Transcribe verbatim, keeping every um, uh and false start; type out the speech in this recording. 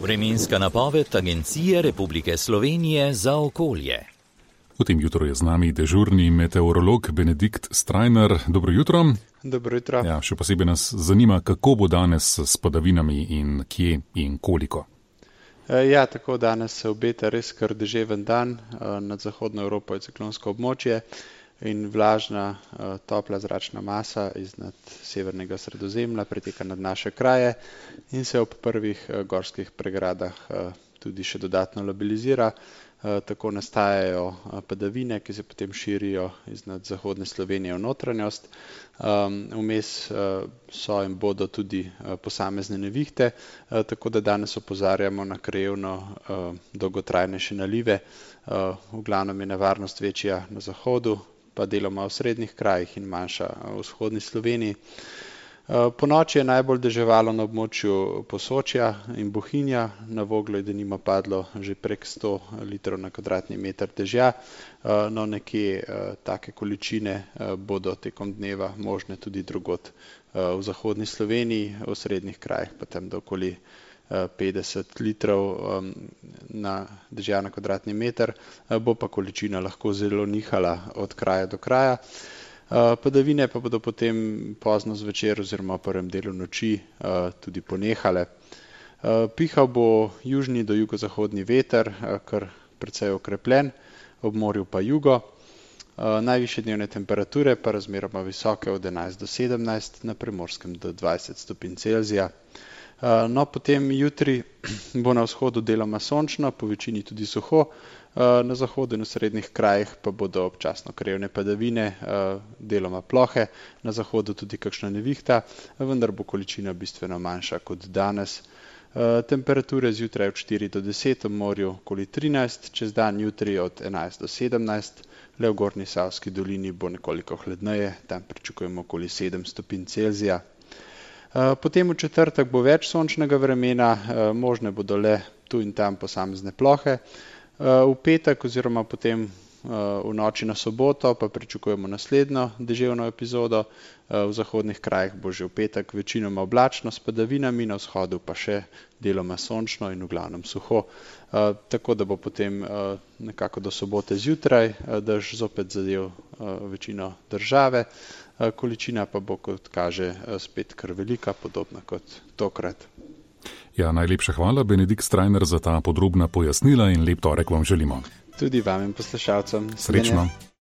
Vremenska napoved Agencije Republike Slovenije za okolje. V tem jutru je z nami dežurni meteorolog Benedikt Strajnar. Dobro jutro. Dobro jutro. Ja, še posebej nas zanima, kako bo danes s padavinami in kje in koliko. Ja, tako danes se obeta res kar deževen dan. Nad zahodno Evropo je ciklonsko območje in vlažna, topla zračna masa iznad severnega Sredozemlja preteka nad naše kraje in se ob prvih gorskih pregradah tudi še dodatno labilizira. Tako nastajajo padavine, ki se potem širijo iznad zahodne Slovenije v notranjost. Vmes so in bodo tudi posamezne nevihte, tako da danes opozarjamo na krajevno dolgotrajnejše nalive. V glavnem je nevarnost večja na zahodu, pa deloma v srednjih krajih in manjša v vzhodni Sloveniji. Ponoči je najbolj deževalo na območju Posočja in Bohinja, na Voglu je denimo padlo že prek sto litrov na kvadratni meter dežja, no nekje take količine bodo tekom dneva možne tudi drugod v zahodni Sloveniji, v srednjih krajih pa tam do okoli petdeset litrov na dežja na kvadratni meter, bo pa količina lahko zelo nihala od kraja do kraja. Padavine pa bodo potem pozno zvečer oziroma v prvem delu noči tudi ponehale. Pihal bo južni do jugozahodni veter, kar precej okrepljen, ob morju pa jugo. Najvišje dnevne temperature pa razmeroma visoke od enajst do sedemnajst, na Primorskem do dvajset stopinj Celzija. No, potem jutri bo na vzhodu deloma sončno, po večini tudi suho, na zahodu in v srednjih krajih pa bodo občasno krajevne padavine, deloma plohe, na zahodu tudi kakšna nevihta, vendar bo količina bistveno manjša kot danes. Temperature zjutraj od štiri do deset, v morju okoli trinajst, čez dan jutri od enajst do sedemnajst, le v Gornji Savski dolini bo nekoliko hladneje, tam pričakujemo okoli sedem stopinj Celzija. Potem v četrtek bo več sončnega vremena, možne bodo le tu in tam posamezne plohe. V petek oziroma potem v noči na soboto pa pričakujemo naslednjo deževno epizodo. V zahodnih krajih bo že v petek večinoma oblačno s padavinami, na vzhodu pa še deloma sončno in v glavnem suho. Tako da bo potem nekako do sobote zjutraj dež zopet zadel večino države. Količina pa bo, kot kaže, spet kar velika, podobna kot tokrat. Ja, najlepša hvala, Benedikt Strajnar, za ta podrobna pojasnila in lep torek vam želimo. Tudi vam in poslušalcem. Srečno.